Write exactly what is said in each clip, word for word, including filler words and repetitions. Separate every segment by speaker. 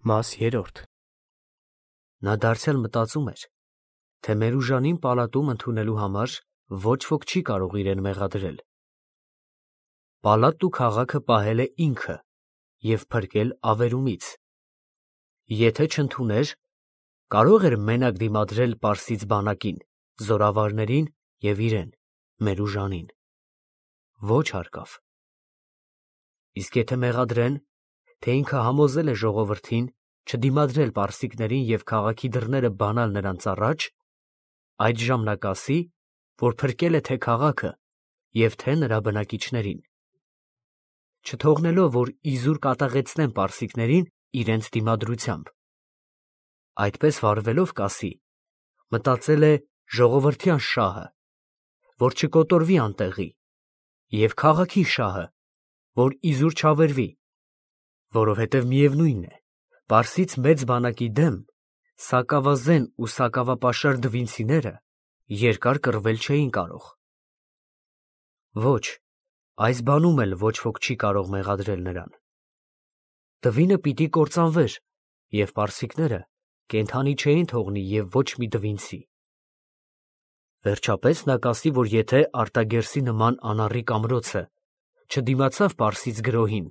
Speaker 1: Մաս երրորդ Նա դարձյալ մտածում էր, թե Մերուժանին պալատում ընդունելու համար ոչ ոք չի կարող իրեն մեղադրել։ Պալատն ու քաղաքը պահել է ինքը և փրկել ավերումից։ Եթե չընդուներ, կարող էր մենակ դիմադրել պարսից բանակին, զորավարներին և իրեն, Մերուժանին։ Ոչ հարկավ։ Իսկ եթե մեղադրեն, թե ինքը համոզել է ժողովրդին չդիմադրել պարսիկներին և քաղաքի դռները բանալ նրանց առաջ, այդժամ նա կասի, որ փրկել է թե քաղաքը և թե նրա բնակիչներին, չթողնելով, որ իզուր կատաղեցնեն պարսիկներին իրենց դիմադրությամբ։ Այդպես վարվելով կասի. մտածել է ժողովրդյան շահը, որ չկոտորվի անտեղի, և քաղաքի շահը, որ իզուր չավերվի, որովհետև միևնույն է, պարսից մեծ բանակի դեմ սակավազեն ու սակավապաշար դվինցիները երկար կռվել չէին կարող։ Ոչ, այս բանում էլ ոչ ոք չի կարող մեղադրել նրան։ Դվինը պիտի կործանվեր, և պարսիկները կենդանի չէին թողնի և ոչ մի դվինցի։ Վերջապես նա կասի, որ եթե Արտագերսի նման անառիկ ամրոցը չդիմացավ պարսից գրոհին,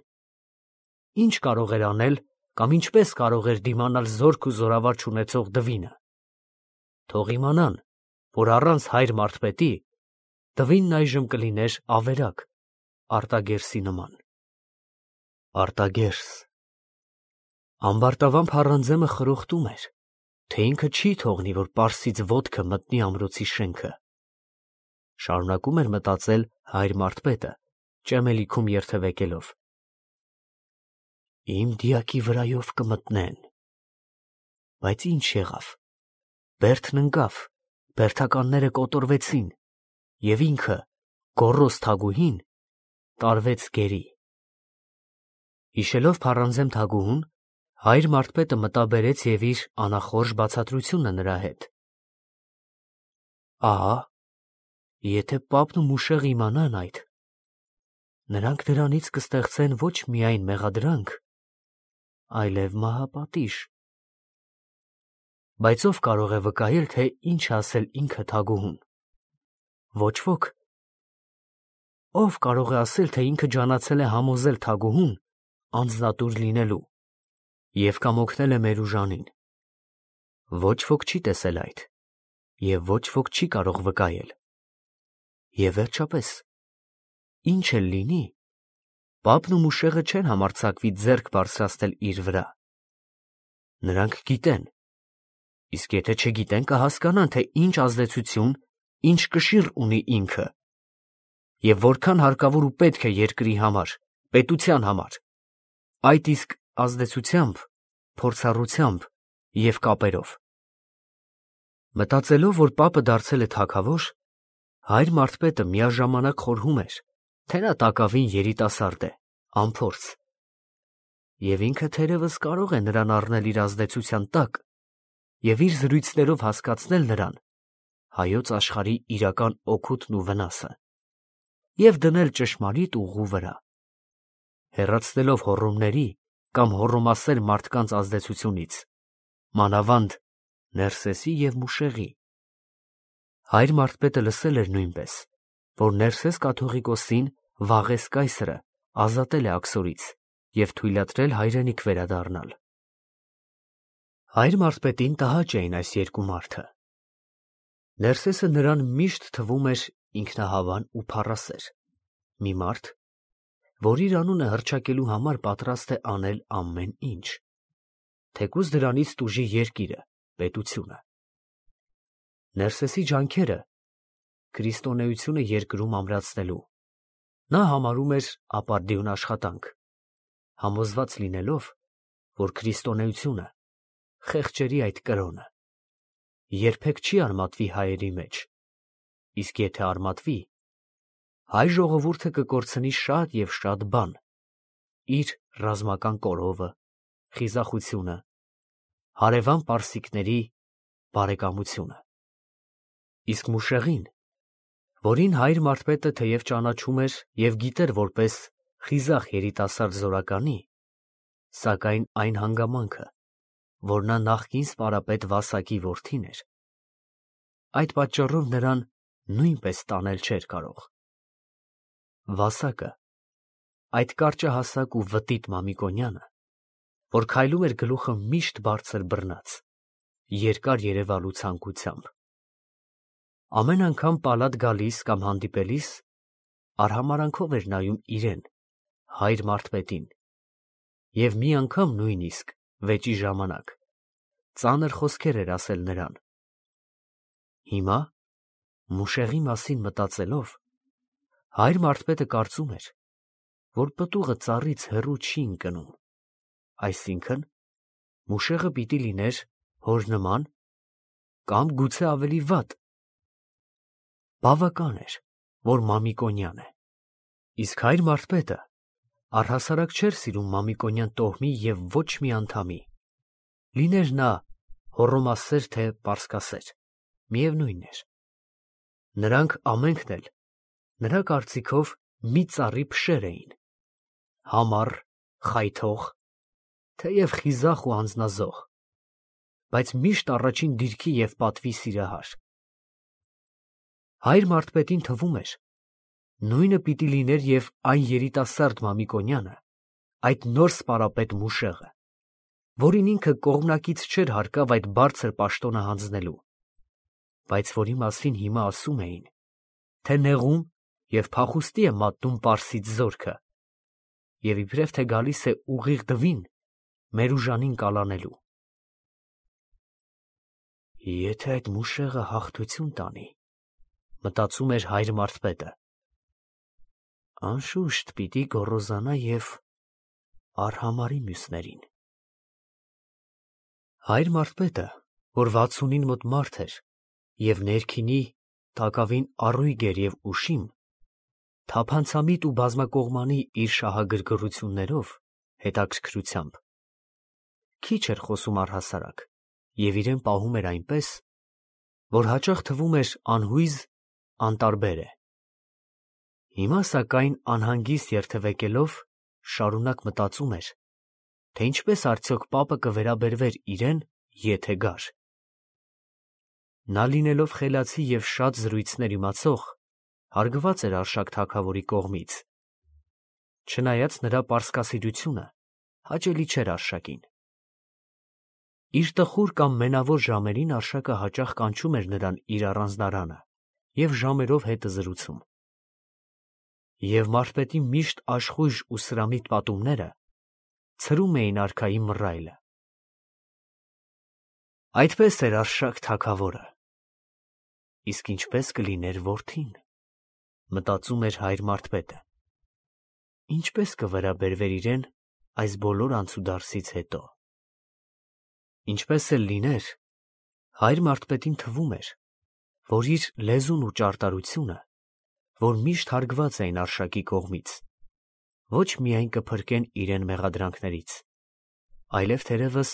Speaker 1: ի՞նչ կարող էր անել կամ ինչպես կարող էր դիմանալ զորք ու զորավար չունեցող դվինը։ Թող իմանան, որ առանց հայր մարդպետի դվինն այժմ կլիներ ավերակ Արտագերսի նման։ Արտագերս… Ամբարտավան փառանձեմը խրոխտում էր, թե ինքը չի թողնի, որ պարսից ոտքը մտնի ամրոցի շենքը։ Շարունակում էր մտածել հայր մարդպետը, ճեմելիքում երթևեկելով. Իմ դիակի վրայով կմտնեն, բայց ինչ եղավ, բերդն ընկավ, բերդականները կոտորվեցին, և ինքը, գոռոզ թագուհին, տարվեց գերի։ Հիշելով փառանձեմ թագուհուն, հայր մարդպետը մտաբերեց և իր անախորժ բացատրությունը նրա հետ. Ահա, եթե պապն ու Մուշեղը իմանան այդ, նրանք դրանից կստեղծեն ոչ միայն մեղադրանք, այլև մահապատիժ։ Բայց ո՞վ կարող է վկայել, թե ինչ է ասել ինքը թագուհուն։ Ոչ ոք։ Ո՞վ կարող է ասել, թե ինքը ջանացել է համոզել թագուհուն անձնատուր լինելու և կամ օգնել է Մերուժանին։ Ոչ ոք չի տեսել այդ, և ոչ ոք չի կարող վկայել։ Եվ վերջապես, ինչ էլ լինի, պապն ու Մուշեղը չեն համարձակվի ձեռք բարձրացնել իր վրա։ Նրանք գիտեն, իսկ եթե չգիտեն, կհասկանան, թե ինչ ազդեցություն, ինչ կշիռ ունի ինքը, և որքան հարկավոր ու պետք է երկրի համար, պետության համար, այդ իսկ ազդեցությամբ, փորձառությամբ և կապերով։ Մտածելով, որ պապը դարձել է թագավոր, հայր մարդպետը միաժամանակ խորհում էր, թե նա տակավին երիտասարդ է, անփորձ, և ինքը թերևս կարող է նրան առնել իր ազդեցության տակ և իր զրույցներով հասկացնել նրան հայոց աշխարհի իրական օգուտն ու վնասը և դնել ճշմարիտ ուղու վրա, հեռացնելով հոռոմների կամ հոռոմասեր մարդկանց ազդեցությունից, մանավանդ Ներսեսի և Մուշեղի։ Հայր մարդպետը լսել էր նույնպես, որ Ներսես կաթողիկոսին Վաղես կայսրը ազատել է աքսորից և թույլատրել հայրենիք վերադառնալ։ Հայր մարդպետին տհաճ էին այս երկու մարդը։ Ներսեսը նրան միշտ թվում էր ինքնահավան ու փառասեր, մի մարդ, որ իր անունը հռչակելու համար պատրաստ է անել ամեն ինչ, թեկուզ դրանից տուժի երկիրը, պետությունը։ Ներսեսի ջանքերը քրիստոնեությունը երկրում ամրացնելու նա համարում էր ապարդյուն աշխատանք, համոզված լինելով, որ քրիստոնեությունը խեղճերի այդ կրոնը երբեք չի արմատվի հայերի մեջ, իսկ եթե արմատվի, հայ ժողովուրդը կկորցնի շատ և շատ բան՝ իր ռազմական կորովը, խիզախությունը, հարևան պարսիկների բարեկամությունը։ Իսկ Մուշեղին, որին հայր մարդպետը թեև ճանաչում էր և գիտեր որպես խիզախ երիտասարդ զորականի, սակայն այն հանգամանքը, որ նա նախկին սպարապետ Վասակի որդին էր։ Այդ պատճառով նրան նույնպես տանել չէր կարող։ Վասակը, այդ կարճահասակ ու վտիտ Մամիկոնյանը, որ քայլում էր գլուխը միշտ բարձր բռնած, երկար երևալու ցանկությամբ, ամեն անգամ պալատ գալիս կամ հանդիպելիս արհամարանքով էր նայում իրեն, հայր Մարթպետին, և մի անգամ նույնիսկ վեճի ժամանակ ծանր խոսքեր էր ասել նրան։ Հիմա, Մուշեղի մասին մտածելով, հայր Մարթպետը կարծում էր, որ պտուղը ծառից հեռու չի ընկնում, այսինքն Մուշեղը պիտի լիներ հոր նման կամ գուցե ավելի վատ։ Բավական էր, որ Մամիկոնյան է, իսկ հայր Մարթպետը առհասարակ չէր սիրում Մամիկոնյան տոհմի և ոչ մի անդամի, լիներ նա հոռոմասեր թե պարսկասեր, միևնույն էր։ Նրանք ամենքն էլ նրա կարծիքով մի ծառի փշեր էին, համառ, խայթող, թեև խիզախ ու անձնազոհ, բայց միշտ առաջին դիրքի և պատվի սիրահար։ Հայր Մարթպետին թվում էր, նույնը պիտի լիներ և այն երիտասարդ Մամիկոնյանը, այդ նոր սպարապետ Մուշեղը, որին ինքը կողմնակից չէր հարկավ այդ բարձր պաշտոնը հանձնելու, բայց որի մասին հիմա ասում էին, թե նեղում և փախուստի է մատնում Պարսից զորքը և իբրև թե գալիս է ուղիղ դվին Մերուժանին կալանելու։ Եթե այդ Մուշեղը հաղթություն տանի, մտածում էր հայր Մարթպետը, անշուշտ պիտի գոռոզանա և արհամարի մյուսներին։ Հայր Մարթպետը, որ վաթսունին մոտ մարդ էր և ներքինի տակավին առույգ էր և ուշիմ, թափանցամիտ ու բազմակողմանի իր շահագրգռություններով, հետաքրքրությամբ, քիչ էր խոսում առհասարակ և իրեն պահում էր այնպես, որ հաճախ թվում էր անհույզ, անտարբեր է։ Հիմա, սակայն, անհանգիստ երթևեկելով, շարունակ մտածում էր, թե ինչպես արդյոք պապը կվերաբերվեր իրեն, եթե գար։ Նա լինելով խելացի և շատ զրույցներ իմացող, հարգված էր Արշակ թագավորի կողմից, չնայած նրա պարսկասիրությունը հաճելի չէր Արշակին։ Իր տխուր կամ մենավոր ժամերին Արշակը հաճախ կանչում էր նրան իր առանձնարանը և ժամերով հետը զրուցում։ Եվ Մարթպետի միշտ աշխույժ ու սրամիտ պատումները ցրում էին արքայի մռայլը։ Այդպես էր Արշակ թագավորը, իսկ ինչպես կլիներ որդին, մտածում էր հայր Մարթպետը, ինչպես կվերաբերվեր իրեն այս բոլոր անցուդարձից հետո։ Ինչպես էլ լիներ, հայր Մարթպետին թվում էր, որ իր լեզուն ու ճարտարությունը, որ միշտ հարգված էին Արշակի կողմից, ոչ միայն կփրկեն իրեն մեղադրանքներից, այլև թերևս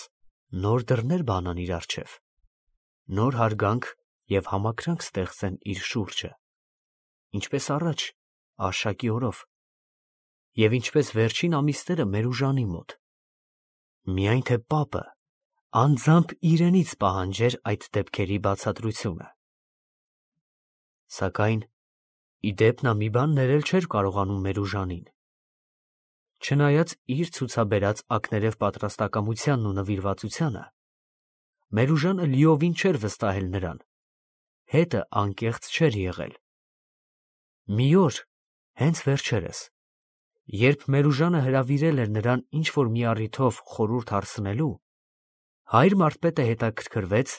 Speaker 1: նոր դռներ բանան իր առջև, նոր հարգանք և համակրանք ստեղծեն իր շուրջը, ինչպես առաջ Արշակի օրով, և ինչպես վերջին ամիսները Մերուժանի մոտ, միայն թե պապը անձամբ իրենից պահանջեր այդ դեպքերի բացատրությունը։ Սակայն ի դեպ նա մի բան ներել չէր կարողանում Մերուժանին, չնայած իր ցուցաբերած ակներև պատրաստակամությանն ու նվիրվածությանը, Մերուժանը լիովին չէր վստահել նրան, հետը անկեղծ չէր եղել։ Մի օր, հենց վերջերս, երբ Մերուժանը հրավիրել էր նրան ինչ-որ մի առիթով խորհուրդ հարցնելու, հայր Մարթպետը հետաքրքրվեց,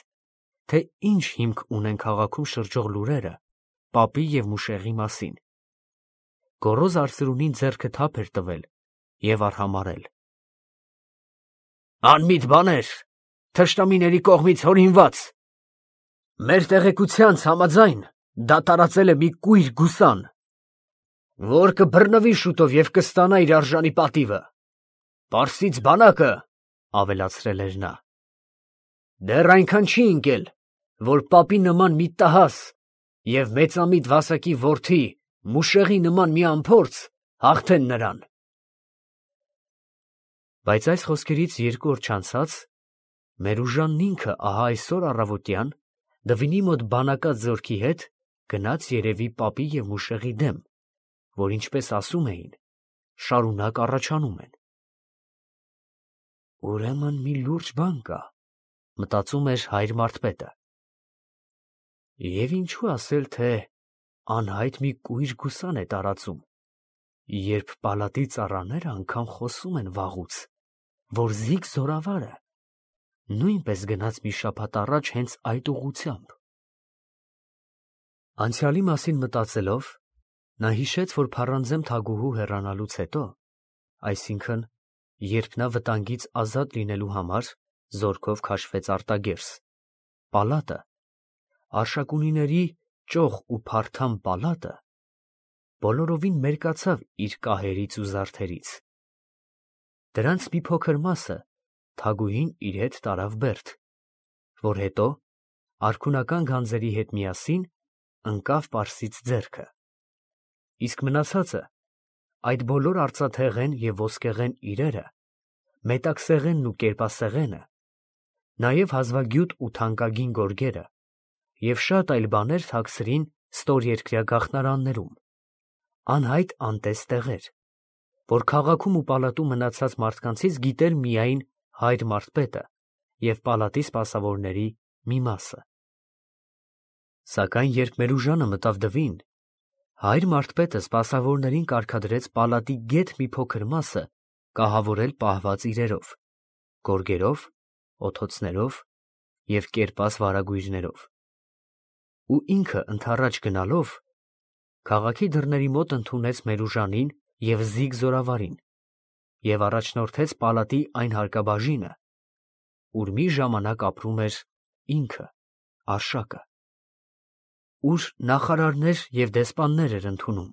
Speaker 1: թե ինչ հիմք ունեն քաղաքում շրջող լուրերը պապի և Մուշեղի մասին։ Գոռոզ արծրունին ձեռքը թափ էր տվել և արհամարհել. «Անմիտ բաներ, թշնամիների կողմից հորինված, մեր տեղեկությանց համաձայն դա տարածել է մի կույր գուսան, որ կբռնվի շուտով և կստանա իր արժանի պատիվը։ Պարսից բանակը, — ավելացրել էր նա, — դեռ այնքան չի ընկել, որ պապի նման մի տհաս և մեծամիտ Վասակի որդի Մուշեղի նման մի անփորձ հաղթեն նրան»։ Բայց այս խոսքերից երկու օր չանցած Մերուժանն ինքը ահա այսօր առավոտյան Դվինի մոտ բանակած զորքի հետ գնաց երևի պապի և Մուշեղի դեմ, որ ինչպես ասում էին, շարունակ առաջանում են։ Ուրեմն մի լուրջ բան կա, մտածում էր հայր Մարթպետը։ Եվ ինչու ասել, թե անհայտ մի կույր գուսան է տարածում, երբ պալատի ծառաները անգամ խոսում են վաղուց, որ Զիգ զորավարը նույնպես գնաց մի շաբաթ առաջ հենց այդ ուղղությամբ։ Անցյալի մասին մտածելով, նա հիշեց, որ փառանձեմ թագուհու հեռանալուց հետո, այսինքն, երբ նա վտանգից ազատ լինելու համար զորքով քաշվեց արտագերս, պալատը, Արշակունիների ճոխ ու փարթամ պալատը, բոլորովին մերկացավ իր կահերից ու զարդերից։ Դրանց մի փոքր մասը թագուհին իր հետ տարավ Բերդ, որ հետո արքունական գանձերի հետ միասին ընկավ Պարսից ձեռքը, իսկ մնացածը, այդ բոլոր արծաթեղեն և ոսկեղեն իրերը, մետաքսեղենն ու կերպասեղենը, նաև հազվագյուտ ու թանկագին գորգերը և շատ այլ բաներ թաքցրին ստորերկրյա գաղթնարաններում, անհայտ անտես տեղեր, որ քաղաքում ու պալատում մնացած մարդկանցից գիտեր միայն հայր Մարթպետը և պալատի սպասավորների մի մասը։ Սակայն երբ Մերուժանը մտավ Դվին, հայր Մարթպետը սպասավորներին կարգադրեց պալատի գեթ մի փոքր մասը կահավորել պահված իրերով, գորգերով, օթոցներով և կերպած վարագույրներով, ու ինքը ընդառաջ գնալով քաղաքի դռների մոտ ընդունեց Մերուժանին և Զիգ զորավարին և առաջնորդեց պալատի այն հարկաբաժինը, ուր մի ժամանակ ապրում էր ինքը, Արշակը, ուր նախարարներ և դեսպաններ էր ընդունում,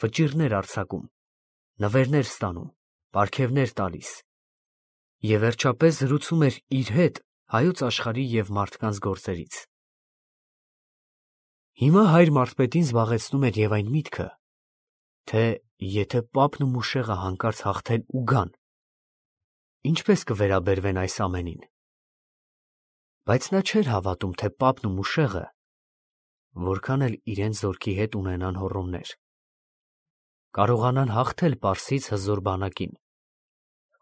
Speaker 1: վճիռներ արձակում, նվերներ ստանում, պարգևներ տալիս և վերջապես զրուցում էր իր հետ հայոց աշխարհի և մարդկանց գործերից։ Հիմա հայր Մարթպետին զբաղեցնում էր և այն միտքը, թե եթե պապն ու Մուշեղը հանկարծ հաղթեն ու գան, ինչպես կվերաբերվեն այս ամենին։ Բայց նա չէր հավատում, թե պապն ու Մուշեղը, որքան էլ իրենց զորքի հետ ունենան հոռոմներ, կարողանան հաղթել Պարսից հզոր բանակին,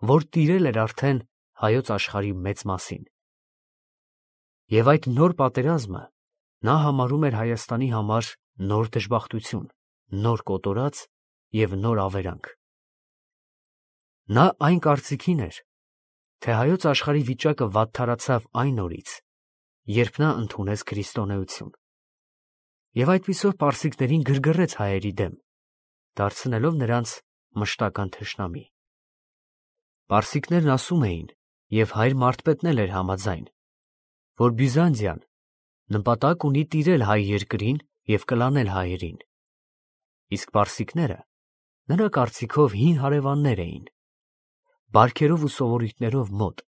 Speaker 1: որ տիրել էր արդեն հայոց աշխարհի մեծ մասին։ Եվ այդ նոր պատերազմը նա համարում էր Հայաստանի համար նոր դժբախտություն, նոր կոտորած և նոր ավերանգ։ Նա այն կարծիքին էր, թե հայոց աշխարհի վիճակը վատթարացավ այն օրից, երբ նա ընդունեց քրիստոնեություն, և այդպիսով պարսիկներին գրգռեց հայերի դեմ, դարձնելով նրանց մշտական թշնամի։ Պարսիկներն ասում էին, և հայր Մարթպետն էլ էր համաձայն, որ Բյուզանդիան նպատակ ունի տիրել հայ երկրին և կլանել հայերին, իսկ պարսիկները նրա կարծիքով հին հարևաններ էին, բարքերով ու սովորույթներով մոտ,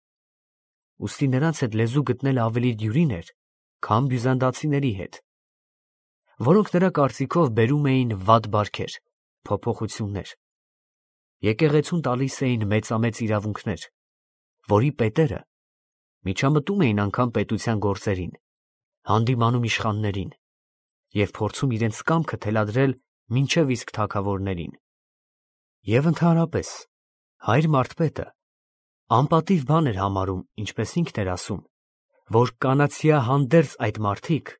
Speaker 1: ուստի նրանց հետ լեզու գտնելը ավելի դյուրին էր, քան բյուզանդացիների հետ, որոնք նրա կարծիքով բերում էին վատ բարքեր, փոփոխություններ, եկեղեցուն տալիս էին մեծամեծ իրավունքներ, որի պետերը միջամտում էին անգամ պետության գործերին, հանդիմանում իշխաններին և փորձում իրենց կամքը թելադրել մինչև իսկ թագավորներին։ Եվ ընդհանրապես հայր Մարթպետը անպատիվ բան էր համարում, ինչպես ինքն էր ասում, որ կանացյա հանդերձ այդ մարդիկ,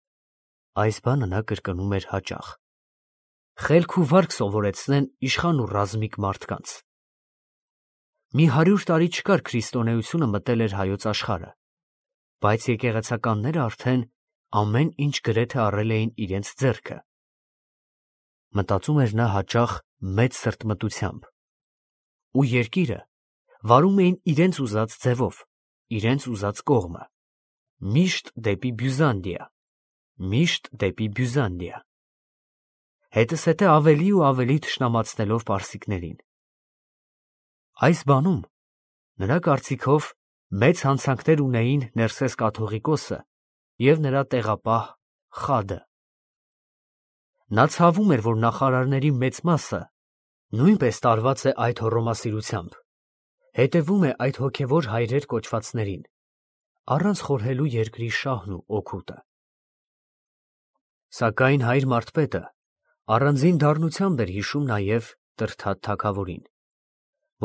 Speaker 1: այս բանը նա կրկնում էր հաճախ, խելք ու վարք սովորեցնեն իշխան ու ռազմիկ մարդկանց։ Մի հարյուր տարի չկար քրիստոնեությունը մտել էր հայոց աշխարհը, բայց եկեղեցականները արդեն ամեն ինչ գրեթե առել էին իրենց ձեռքը։ Մտածում էր նա հաճախ մեծ սրտմտությամբ, ու երկիրը վարում էին իրենց ուզած ձևով, իրենց ուզած կողմը, միշտ դեպի Բյուզանդիա, միշտ դեպի Բյուզանդիա, հետզհետե ավելի ու ավելի թշնամացնելով պարսիկներին։ Այս բանում նրա կարծիքով մեծ հանցանքներ ունեին Ներսես կաթողիկոսը և նրա տեղապահ Խադը։ Նա ցավում էր, որ նախարարների մեծ մասը նույնպես տարված է այդ հոռոմասիրությամբ, հետևում է այդ հոգևոր հայրեր կոչվածներին, առանց խորհելու երկրի շահն ու օգուտը։ Սակայն հայր Մարդպետը առանձին դառնությամբ էր հիշում նաև Տրդատ թագավորին,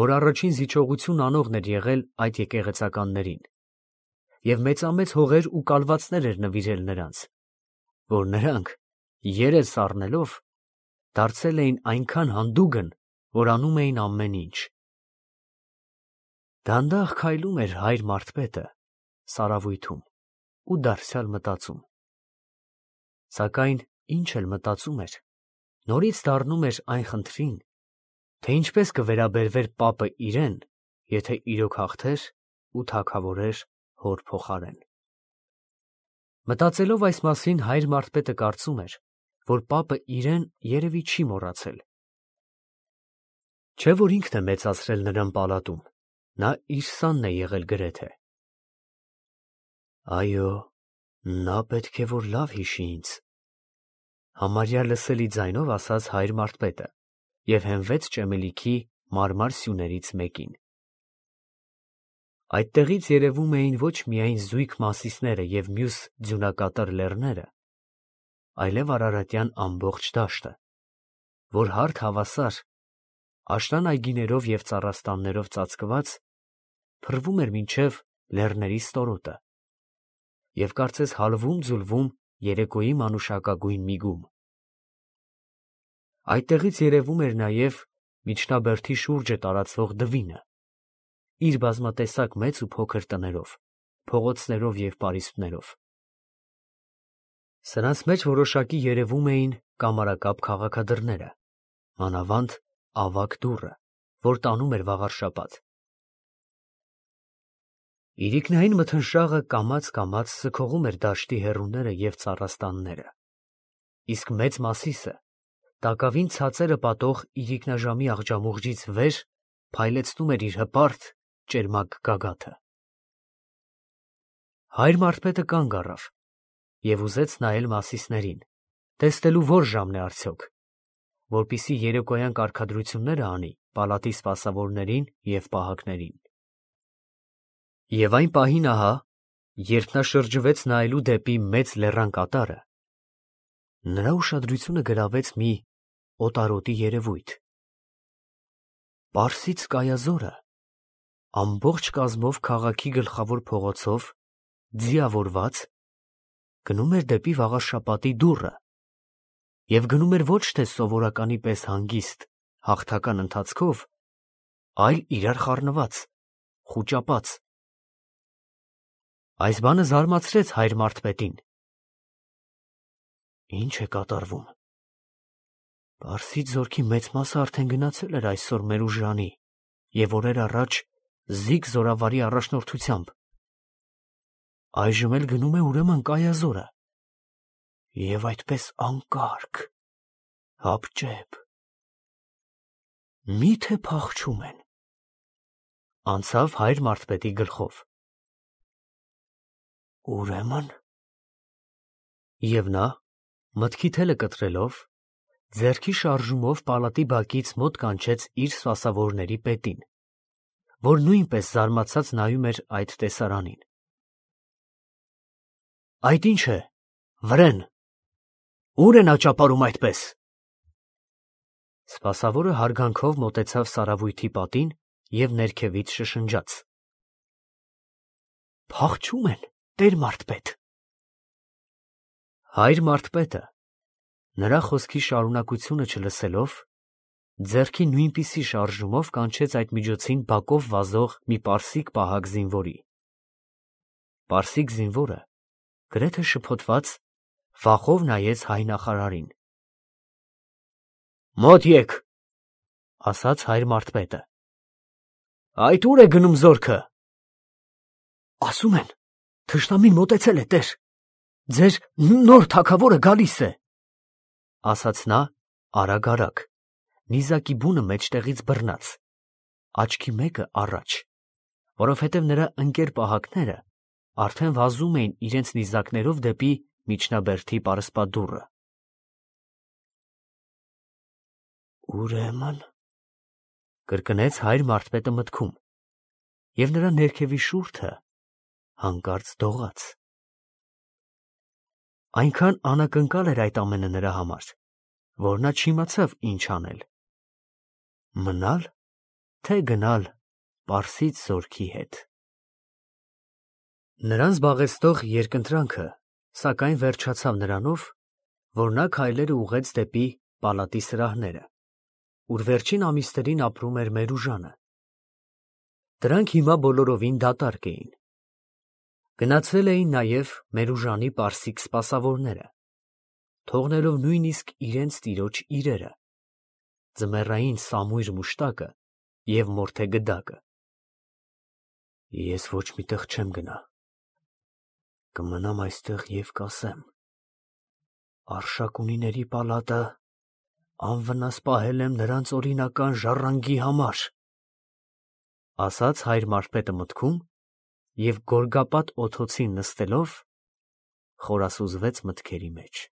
Speaker 1: որ առաջին զիջողություն անողն էր եղել այդ եկեղեցականներին, և մեծամեծ հողեր ու կալվածներ էր նվիրել նրանց, որ նրանք, երես առնելով, դարձել էին այնքան հանդուգն, որ անում էին ամեն ինչ։ Դանդաղ քայլում էր հայր Մարդպետը սարավույթում ու դարձյալ մտածում։ Սակայն ինչ էլ մտածում էր, նորից դառնում էր այն խնդրին, թե ինչպես կվերաբերվեր պապը իրեն, եթե իրոք հաղթեր ու թագավորեր հոր փոխարեն։ Մտածելով այս մասին, հայր Մարդպետը կարծում էր, որ պապը իրեն երևի չի մոռացել։ Չէ՞ որ ինքն է մեծացրել նրան պալատում, նա իր սանն է եղել գրեթե։ Այո, նա պետք է որ լավ հիշի ինձ, համարյա լսելի ձայնով ասաց հայր Մարդպետը և հենվեց ճեմելիքի մարմար սյուներից մեկին։ Այդտեղից երևում էին ոչ միայն զույգ Մասիսները և մյուս ձյունակատար լեռները, այլև արարատյան ամբողջ դաշտը, որ հարթ հավասար, աշնան այգիներով և ծառաստաններով ծածկված, փռվում էր մինչև լեռների ստորոտը և կարծես հալվում֊ձուլվում երեկոյի մանուշակագույն միգում։ Այդտեղից երևում էր նաև միջնաբերդի շուրջը տարածվող դվինը, իր բազմատեսակ մեծ ու փոքր տներով, փողոցներով և պարիսպներով։ Սրանց մեջ որոշակի երևում էին կամարակապ քաղաքադրները, մանավանդ ավագ դուռը, որ տանում էր վաղարշապատ։ Իրիկնային մթնշաղը կամաց֊կամաց սքողում էր դաշտի հեռուները և ծառաստանները, իսկ մեծ Մասիսը, տակավին ցածերը պատող իրիկնաժամի աղջամուղջից վեր փայլեցնում էր իր հպարտ, ճերմակ գագաթը։ Հայր Մարդպետը կանգ առավ և ուզեց նայել Մասիսներին, տեսնելու ո՞ր ժամն է արդյոք, որպեսզի երեկոյան կարգադրությունները անի պալատի սպասավորներին և պահակներին։ Եվ այն պահին ահա, երբ նա շրջվեց նայելու դեպի մեծ լեռան կատարը, նրա ուշադրությունը գրավեց մի օտարոտի երևույթ։ Պարսից կայազորը ամբողջ կազմով քաղաքի գլխավոր փողոցով, ձիավորված, գնում էր դեպի վաղարշապատի դուռը և գնում էր ոչ թե սովորականի պես հանգիստ, հաղթական ընթացքով, այլ իրար խառնված, խուճապած։ Այս բանը զարմացրեց հայր Մարդպետին։ Ի՞նչ է կատարվում։ Պարսից զորքի մեծ մասը արդեն գնացել էր այսօր մեր ուժրանի և օրեր առաջ զիգ զորավարի առաջնորդությամբ։ Այժմ էլ գնում է ուրեմն կայազորը, և այդպես անկարգ, հապճեպ։ Մի՞թե փախչում են, անցավ հայր Մարդպետի գլխով։ Ուրեմն… Եվ նա, մտքի թելը կտրելով, ձեռքի շարժումով պալատի բակից մոտ կանչեց իր սպասավորների պետին, որ նույնպես զարմացած նայում էր այդ տեսարանին։ Այդ ի՞նչ է, վրեն, ո՞ւր են աճապարում այդպես։ Սպասավորը հարգանքով մոտեցավ սարավույթի պատին և ներքևից շշնջաց. Փախչում են, տեր Մարդպետ։ Հայր Մարդպետը, նրա խոսքի շարունակությունը չլսելով, ձեռքի նույնպիսի շարժումով կանչեց այդ միջոցին բակով վազող մի պարսիկ պահակ զինվորի։ Պարսիկ զինվորը, գրեթե շփոթված, վախով նայեց հայ նախարարին։ Մոտ եկ, ասաց հայր Մարդպետը։ Այդ ո՞ւր է գնում զորքը։ Ասում են, թշնամին մոտեցել է, տեր, ձեր նոր թագավորը գալիս է, ասաց նա արագ֊արագ, նիզակի բունը մեջտեղից բռնած, աչքի մեկը առաջ, որովհետև նրա ընկեր պահակները արդեն վազում էին իրենց նիզակներով դեպի միջնաբերդի պարսպադուռը։ Ուրեմն… կրկնեց հայր Մարդպետը մտքում, և նրա ներքևի շուրթը հանկարծ դողաց։ Այնքան անակնկալ էր այդ ամենը նրա համար, որ նա չիմացավ ինչ անել. մնալ, թե գնալ Պարսից զորքի հետ։ Նրան զբաղեցնող երկընտրանքը, սակայն վերջացավ նրանով, որ նա քայլերը ուղղեց դեպի պալատի սրահները, ուր վերջին ամիսներին ապրում էր Մերուժանը։ Դրանք հիմա բոլորովին դատարկ էին։ Գնացել էին նաև Մերուժանի պարսիկ սպասավորները, թողնելով նույնիսկ իրենց տիրոջ իրերը, ձմեռային սամույր մուշտակը և մորթե գդակը։ Ես ոչ մի տեղ չեմ գնա, կմնամ այստեղ և կասեմ. Արշակունիների պալատը անվնաս պահել եմ նրանց օրինական ժառանգի համար, ասաց հայր Մարփետը մտքում և գորգապատ օդոցին նստելով, խորասուզվեց մտքերի մեջ։